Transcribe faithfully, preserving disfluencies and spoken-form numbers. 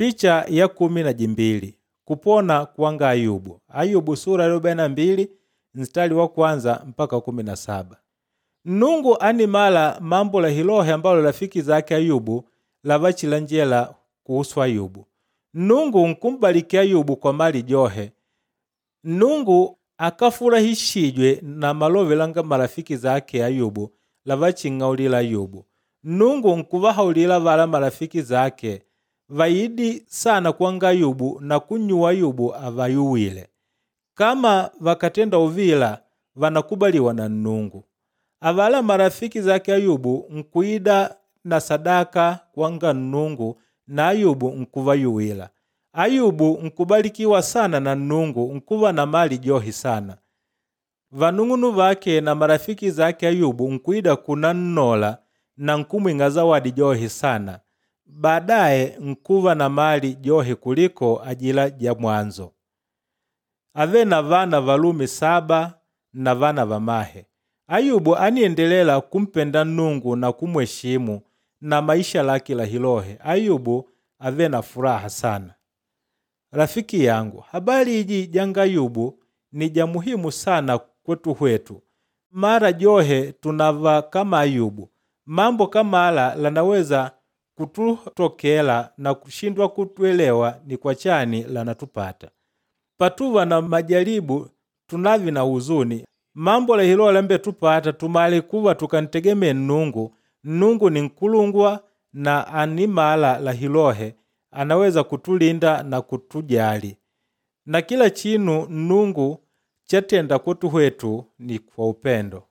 Picha ya kumi na jimbili kupona kwanga Ayubu. Ayubu sura ya arobaini na mbili mstari wa kwanza mpaka kumi na saba. Nnungu animala mambo la hilohe ambalo rafiki zake Ayubu lavachilanjela kuhusu Ayubu. Nnungu nkumbaliki Ayubu kwa mali johe. Nnungu akafurahishijwe na malove langa marafiki zake Ayubu lavaching'aulila Ayubu. Nnungu nkuvahaulila vala marafiki zake vaidi sana kwanga Ayubu na kunnyuwa Ayubu avayuwile. Kama vakatenda uvila vanakubaliwa na Nnungu. Avala marafiki zake Ayubu nkuida na sadaka kwanga Nnungu na Ayubu nkuvayuwila. Ayubu nkubalikiwa sana na Nnungu nkuva na mali johi sana. Vanung'unu vake na marafiki zake Ayubu nkuida kunannola na nkumwing'a zawadi johi sana. Baadaye nkuva na mali johi kuliko ajila ja mwanzo. Ave na vana valume saba na vana vamahe. Ayubu aniendelela kumpenda Nnungu na kumweshimu na maisha lake la hilohe. Ayubu ave na furaha sana. Rafiki yangu, habari iji janga Ayubu ni ja muhimu sana kwetu hwetu. Mara johe tunava kama Ayubu. Mambo kama ala lanaweza kututokela na kushindwa kutuelewa ni kwa chani lanatupata. Patuva na majaribu tunavi na huzuni. Mambo la hilo lambe tupata tumale kuva tukantegemee Nnungu. Nnungu ni nkulungwa na animala la hilohe anaweza kutulinda na kutujali. Na kila chinu Nnungu chatenda kwetu hwetu ni kwa upendo.